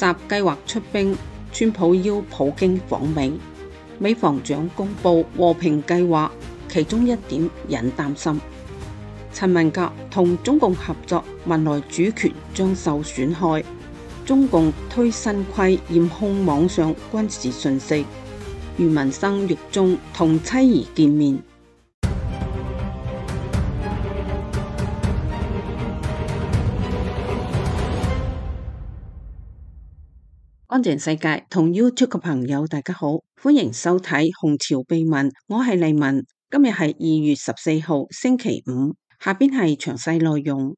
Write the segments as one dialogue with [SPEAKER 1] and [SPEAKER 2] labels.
[SPEAKER 1] 習計劃出兵，川普邀普京訪美。美防長公布和平計劃，其中一點引擔心。陳文革同中共合作，文萊主權將受損害。中共推新規嚴控網上軍事訊息。余文生獄中同妻兒見面。安靜世界同 YouTube 嘅朋友大家好，歡迎收睇紅潮秘聞，我係麗文。今日係2月14號星期五，下邊係詳細內容。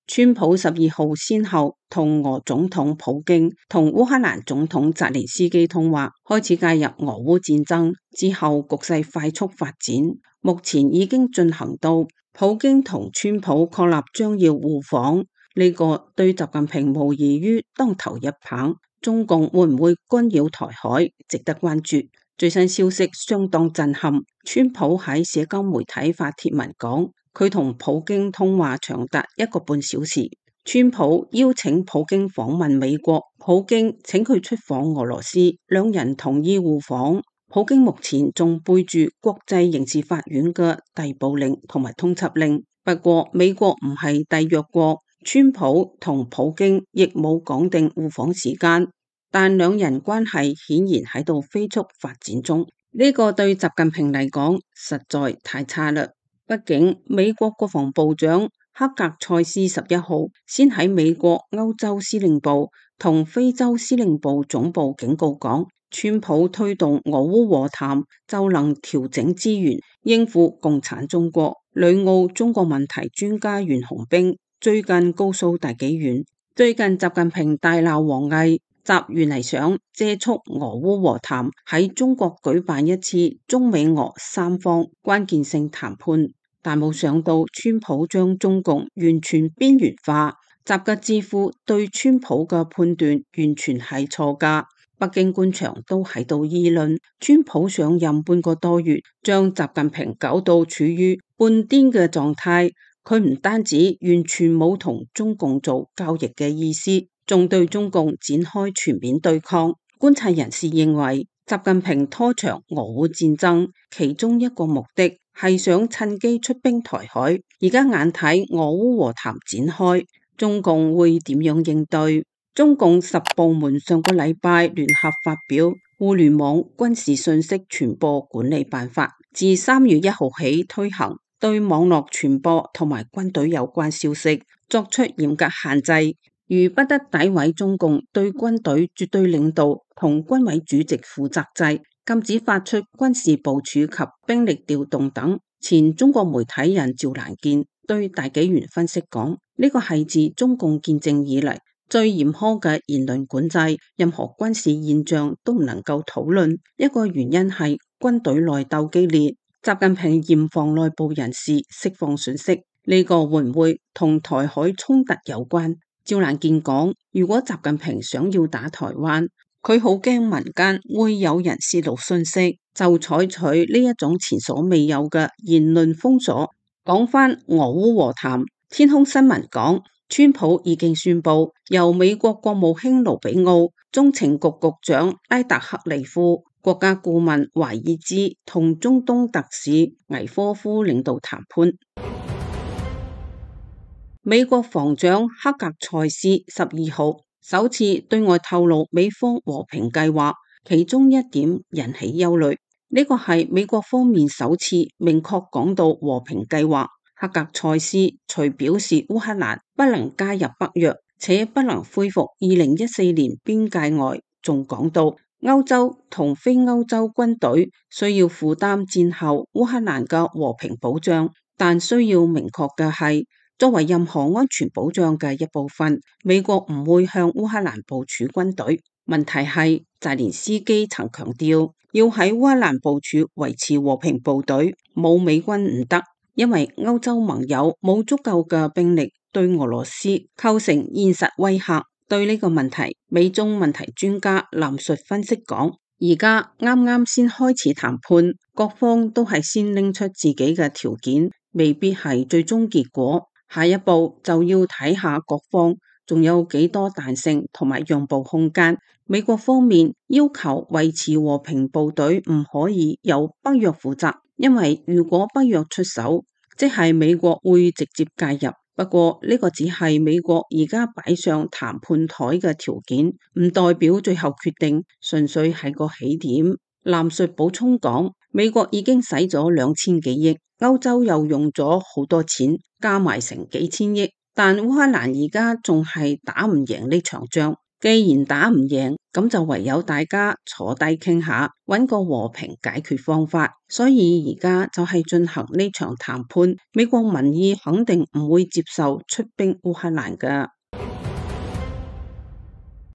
[SPEAKER 1] 川普12號先後同俄總統普京同烏克蘭總統澤連斯基通話，開始介入俄烏戰爭。之後局勢快速發展，目前已經進行到普京同川普確立將要互訪，呢個對習近平無異於當頭一棒。中共會唔會干擾台海，值得關注。最新消息相當震撼，川普喺社交媒體發帖文講，佢同普京通話長達1個半小時。川普邀請普京訪問美國，普京請佢出訪俄羅斯，兩人同意互訪。普京目前仲背住國際刑事法院嘅逮捕令同埋通緝令。不過美國唔係締約國，川普同普京亦冇講定互訪時間，但兩人關係顯然喺度飛速發展中。呢個對習近平嚟講實在太差啦。畢竟美國國防部長克格塞斯11號先喺美國歐洲司令部同非洲司令部總部警告講，川普推動俄烏和談就能調整資源應付共產中國。旅澳中國問題專家袁洪兵最近告訴大紀元，最近習近平大鬧王毅，習原嚟想借促俄烏和談喺中國舉辦一次中美俄三方關鍵性談判，但冇想到川普將中共完全邊緣化。習嘅智庫對川普嘅判斷完全係錯㗎。北京官場都喺度議論，川普上任半個多月，將習近平搞到處於半癲嘅狀態。佢唔單止完全冇同中共做交易嘅意思，仲對中共展開全面對抗。觀察人士認為，習近平拖長俄烏戰爭，其中一個目的係想趁機出兵台海。而家眼睇俄烏和談展開，中共會點樣應對？中共10部門上個禮拜聯合發表《互聯網軍事信息傳播管理辦法》，自3月1號起推行，對網絡傳播同埋軍隊有關消息作出嚴格限制，如不得詆毀中共對軍隊絕對領導同軍委主席負責制，禁止發出軍事部署及兵力調動等。前中國媒體人趙蘭健對大紀元分析講，呢個係自中共建政以嚟最嚴苛嘅言論管制，任何軍事現象都唔能夠討論。一個原因係軍隊內鬥激烈，習近平嚴防內部人士釋放訊息，呢個會唔會同台海衝突有關？趙蘭健講，如果習近平想要打台灣，佢好驚民間會有人泄露訊息，就採取呢一種前所未有嘅言論封鎖。講返俄烏和談，天空新聞講，川普已經宣布由美國國務卿盧比奧、中情局局長拉達克利夫、國家顧問華爾茲同中東特使維科夫領導談判。美國防長克格塞斯12號首次對外透露美方和平計劃，其中一點引起憂慮。呢個係美國方面首次明確講到和平計劃。克格塞斯除表示烏克蘭不能加入北約，且不能恢復2014年邊界外，仲講到歐洲同非歐洲軍隊需要負擔戰後烏克蘭嘅和平保障，但需要明確嘅係，作為任何安全保障嘅一部分，美國唔會向烏克蘭部署軍隊。問題係澤連斯基曾強調，要喺烏克蘭部署維持和平部隊，冇美軍唔得。因為歐洲盟友冇足夠嘅兵力對俄羅斯構成現實威嚇。對呢個問題，美中問題專家藍述分析講，而家啱啱先開始談判，各方都係先拎出自己嘅條件，未必係最終結果。下一步就要睇下各方仲有幾多彈性同埋讓步空間？美國方面要求維持和平部隊唔可以由北約負責，因為如果北約出手，即係美國會直接介入。不過呢個只係美國而家擺上談判台嘅條件，唔代表最後決定，純粹係個起點。藍述補充講，美國已經使咗2000幾億，歐洲又用咗好多錢，加埋成幾千億，但烏克蘭而家仲係打唔贏呢場仗。既然打唔贏，咁就唯有大家坐低傾下，揾個和平解決方法。所以而家就係進行呢場談判，美國民意肯定唔會接受出兵烏克蘭㗎。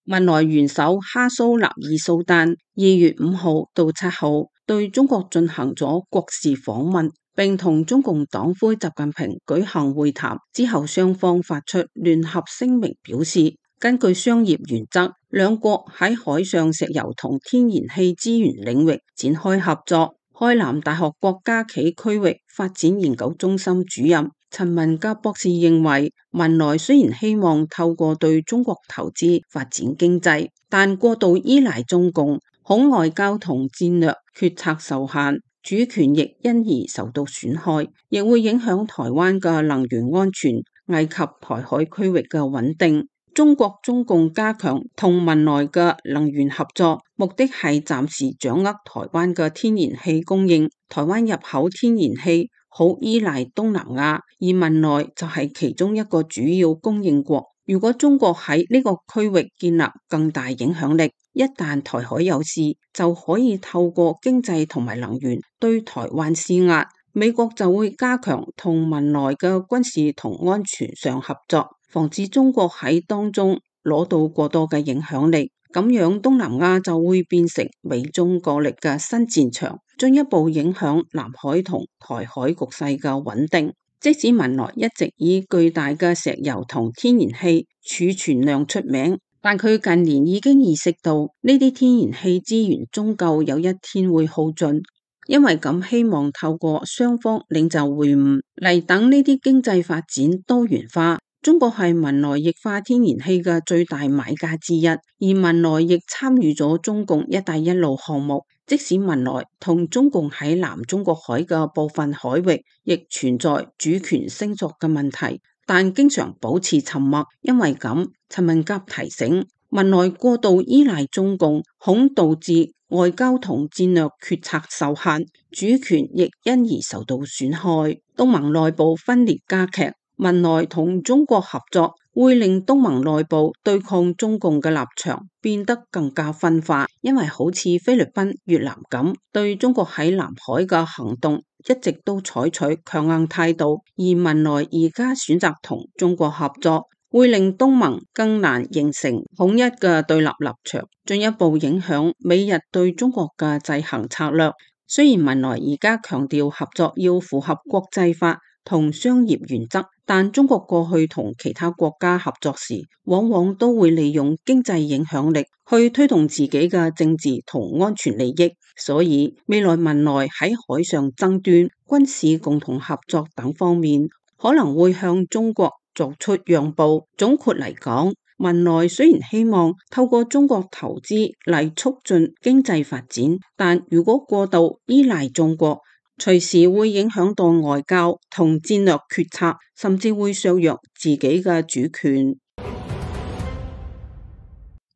[SPEAKER 1] 文萊元首哈蘇納爾蘇丹2月5號到7號對中國進行咗國事訪問，並同中共黨魁習近平舉行會談。之後雙方發出聯合聲明，表示根據商業原則，兩國喺海上石油同天然氣資源領域展開合作。開南大學國家暨區域發展研究中心主任陳文甲博士認為，文萊雖然希望透過對中國投資發展經濟，但過度依賴中共，恐外交同戰略決策受限，主權亦因而受到損害，亦會影響台灣嘅能源安全，危及台海區域嘅穩定。中國中共加強同文萊嘅能源合作，目的係暫時掌握台灣嘅天然氣供應。台灣入口天然氣好依賴東南亞，而文萊就係其中一個主要供應國。如果中國喺呢個區域建立更大影響力，一旦台海有事，就可以透過經濟同埋能源對台灣施壓。美國就會加強同文萊嘅軍事同安全上合作，防止中國喺當中攞到過多嘅影響力，咁樣東南亞就會變成美中角力嘅新戰場，進一步影響南海同台海局勢嘅穩定。即使文萊一直以巨大嘅石油同天然氣儲存量出名，但佢近年已經意識到呢啲天然氣資源終究有一天會耗盡，因為咁希望透過雙方領袖會晤嚟等呢啲經濟發展多元化。中國係文萊液化天然氣嘅最大買家之一，而文萊亦參與咗中共一帶一路項目。即使文萊同中共喺南中國海嘅部分海域亦存在主權聲索嘅問題，但經常保持沉默。因為咁，陳文甲提醒，文萊過度依賴中共，恐導致外交同戰略決策受限，主權亦因而受到損害。東盟內部分裂加劇，文萊同中國合作會令東盟內部對抗中共嘅立場變得更加分化，因為好似菲律賓、越南咁，對中國喺南海嘅行動一直都採取強硬態度，而文萊而家選擇同中國合作，會令東盟更難形成統一嘅對立立場，進一步影響美日對中國嘅制衡策略。雖然文萊而家強調合作要符合國際法同商業原則，但中國過去同其他國家合作時，往往都會利用經濟影響力去推動自己嘅政治同安全利益，所以未來文萊喺海上爭端、軍事共同合作等方面，可能會向中國作出讓步。總括嚟講，文萊雖然希望透過中國投資嚟促進經濟發展，但如果過度依賴中國，隨時會影響到外交同戰略決策，甚至會削弱自己嘅主權。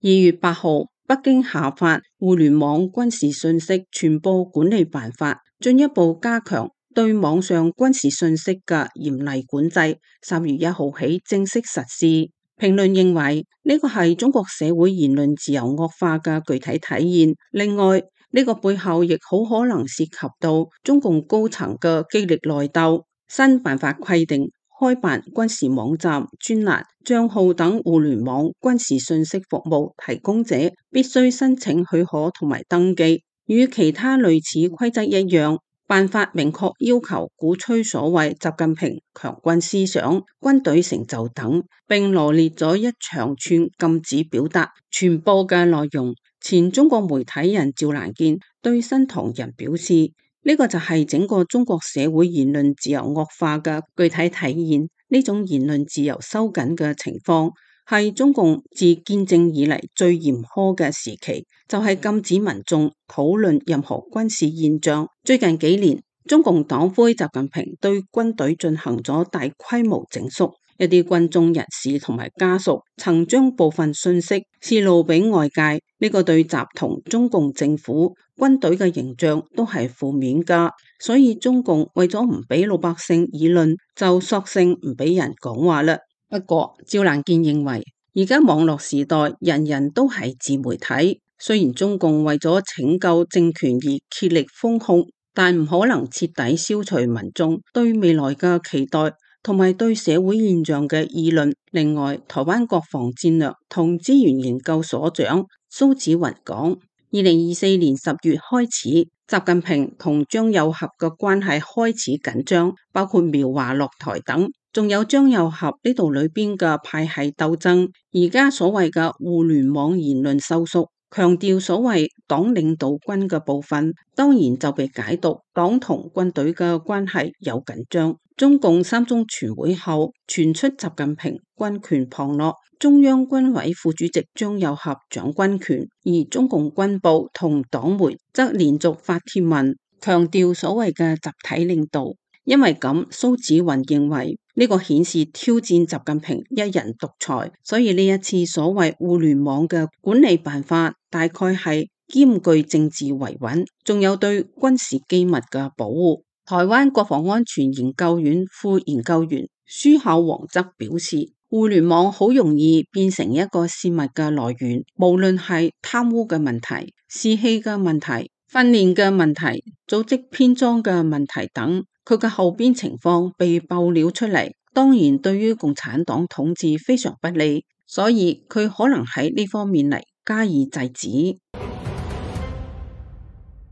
[SPEAKER 1] 2月8號，北京下發互聯網軍事信息傳播管理辦法，進一步加強對網上軍事信息嘅嚴厲管制。3月1號起正式實施。評論認為呢個係中國社會言論自由惡化嘅具體體現。另外，呢個背後亦好可能涉及到中共高層嘅激烈內鬥。新辦法規定，開辦軍事網站、專欄、賬號等互聯網軍事信息服務提供者必須申請許可同埋登記，與其他類似規則一樣。辦法明確要求鼓吹所謂習近平強軍思想、軍隊成就等，並羅列咗一長串禁止表達、傳播嘅內容。前中國媒體人趙蘭健對新唐人表示，呢個就係整個中國社會言論自由惡化嘅具體體現。呢種言論自由收緊嘅情況，係中共自建政以嚟最嚴苛嘅時期，就係禁止民眾討論任何軍事現象。最近幾年，中共黨魁習近平對軍隊進行咗大規模整肅，一啲軍中人士同埋家屬曾將部分信息泄露俾外界，呢個對習同中共政府軍隊嘅形象都係負面噶。所以中共為咗唔俾老百姓議論，就索性唔俾人講話啦。不過趙蘭健認為，而家網絡時代人人都係自媒體，雖然中共為咗拯救政權而竭力封控，但唔可能徹底消除民眾對未來嘅期待同埋對社會現象嘅議論。另外，台灣國防戰略同資源研究所長蘇紫雲講，2024年10月開始，習近平同張又俠嘅關係開始緊張，包括苗華落台等。仲有張又俠呢度裏邊嘅派系鬥爭，而家所謂嘅互聯網言論收縮，強調所謂黨領導軍嘅部分，當然就被解讀黨同軍隊嘅關係有緊張。中共3中全會後傳出習近平軍權旁落，中央軍委副主席張又俠掌軍權，而中共軍部同黨媒則連續發帖文強調所謂嘅集體領導。因為咁，蘇紫雲認為呢個顯示挑戰習近平一人獨裁，所以呢一次所謂互聯網嘅管理辦法，大概係兼具政治維穩，仲有對軍事機密嘅保護。台灣國防安全研究院副研究員舒孝煌則表示，互聯網好容易變成一個泄密嘅來源，無論係貪污嘅問題、士氣嘅問題、訓練嘅問題、組織編裝嘅問題等。佢嘅後邊情況被爆料出嚟，當然對於共產黨統治非常不利，所以佢可能喺呢方面嚟加以制止。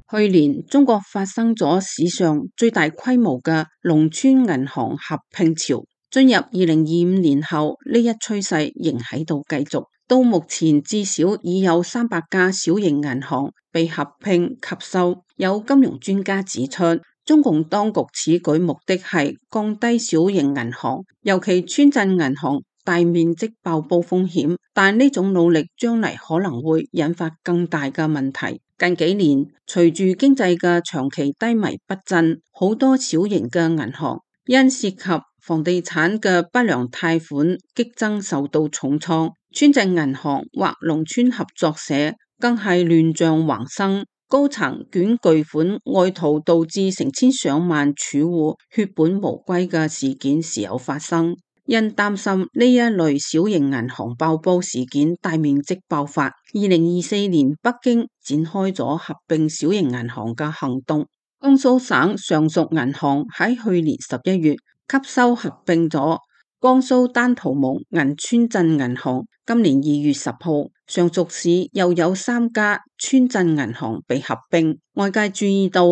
[SPEAKER 1] 去年中國發生咗史上最大規模嘅農村銀行合併潮，進入2025年後，呢一趨勢仍喺度繼續。到目前至少已有300家小型銀行被合併吸收。有金融專家指出，中共當局此舉目的係降低小型銀行，尤其村鎮銀行大面積爆煲風險，但呢種努力將嚟可能會引發更大嘅問題。近幾年，隨住經濟嘅長期低迷不振，好多小型嘅銀行因涉及房地產嘅不良貸款激增受到重創，村鎮銀行或農村合作社更係亂象橫生。高層捲巨款外逃，導致成千上萬儲戶血本無歸嘅事件時有發生。因擔心呢一類小型銀行爆煲事件大面積爆發，2024年北京展開咗合併小型銀行嘅行動。江蘇省上屬銀行喺去年11月吸收合併咗江蘇丹徒蒙銀村鎮銀行，今年2月10號，上屬市又有3家村鎮銀行被合併。外界注意到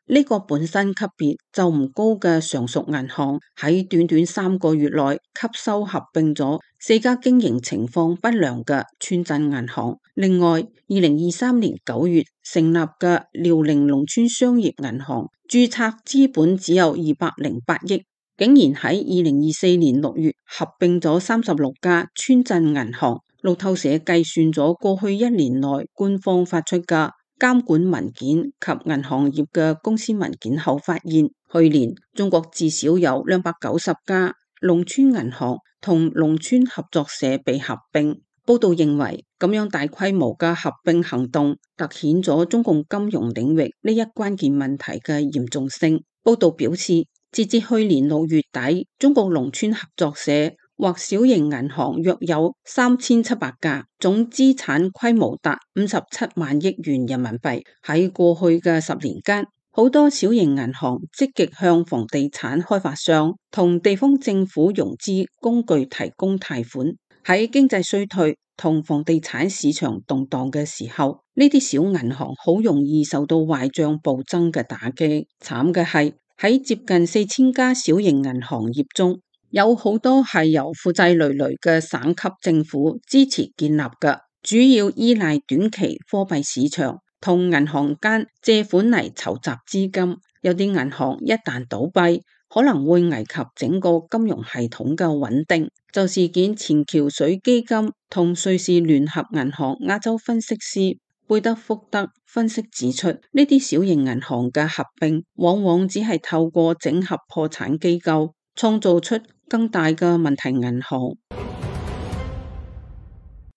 [SPEAKER 1] 呢個本身級別就唔高嘅上屬銀行，喺短短3個月內吸收合併咗4家經營情況不良嘅村鎮銀行。另外，2023年9月成立嘅遼寧農村商業銀行，註冊資本只有208億。竟然喺2024年6月合併咗36家村鎮銀行。路透社計算咗過去1年內官方發出嘅監管文件及銀行業嘅公司文件後，發現去年中國至少有290家農村銀行同農村合作社被合併。報道認為，咁樣大規模嘅合併行動凸顯咗中共金融領域呢一關鍵問題嘅嚴重性。報道表示，截至去年6月底，中國農村合作社或小型銀行約有3700家，總資產規模達57萬億元人民幣。喺過去嘅10年間，好多小型銀行積極向房地產開發商同地方政府融資工具提供貸款。喺經濟衰退同房地產市場動盪嘅時候，呢啲小銀行好容易受到壞賬暴增嘅打擊。慘嘅係，喺接近4000家小型銀行業中，有好多係由負債累累嘅省級政府支持建立嘅，主要依賴短期貨幣市場同銀行間借款嚟籌集資金。有啲銀行一旦倒閉，可能會危及整個金融系統嘅穩定。就事件前橋水基金同瑞士聯合銀行亞洲分析師貝德福德分析指出，呢啲小型銀行嘅合併往往只係透過整合破產機構，創造出更大嘅問題銀行。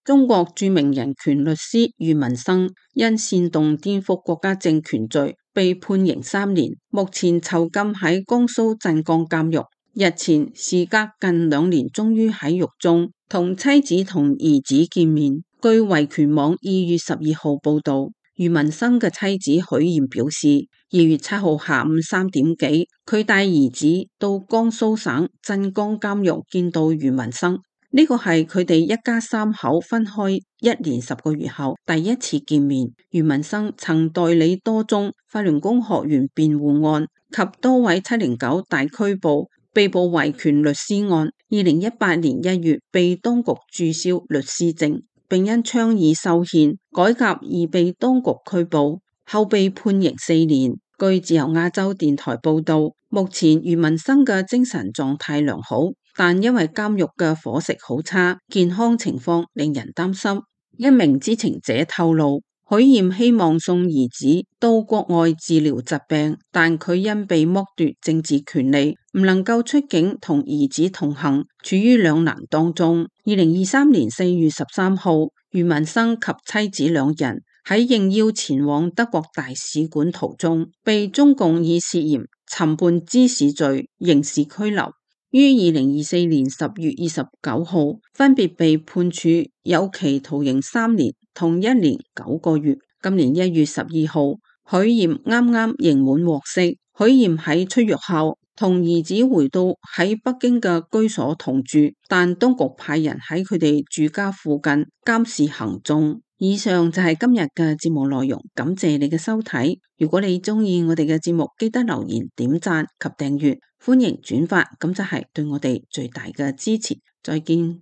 [SPEAKER 1] 中國著名人權律師俞文生因煽動顛覆國家政權罪被判刑3年，目前囚禁喺江蘇鎮江監獄。日前，時隔近2年，終於喺獄中同妻子同兒子見面。據維權網2月12號報道，俞文生嘅妻子許艷表示，2月7號下午3點幾，佢帶兒子到江蘇省鎮江監獄見到俞文生。呢個係佢哋一家3口分開1年10個月後第一次見面。俞文生曾代理多宗法輪功學員辯護案及多位709大拘捕被捕維權律師案。2018年1月被當局註銷律師證，並因倡議修憲改革而被當局拘捕，後被判刑4年。據自由亞洲電台報道，目前俞文生嘅精神狀態良好，但因為監獄嘅伙食好差，健康情況令人擔心。一名知情者透露，許艷希望送兒子到國外治療疾病，但佢因被剝奪政治權利，唔能夠出境同兒子同行，處於兩難當中。2023年4月13號，俞文生及妻子2人喺應邀前往德國大使館途中，被中共以涉嫌尋叛滋事罪刑事拘留，於2024年10月29號分別被判處有期徒刑3年同1年9個月。今年1月12號，許艷啱啱刑滿獲釋。許艷喺出獄後同兒子回到喺北京嘅居所同住，但當局派人喺佢哋住家附近監視行蹤。以上就係今日嘅節目內容，感謝你嘅收睇。如果你鍾意我哋嘅節目，記得留言、點讚及訂閱，歡迎轉發，咁就係對我哋最大嘅支持。再見。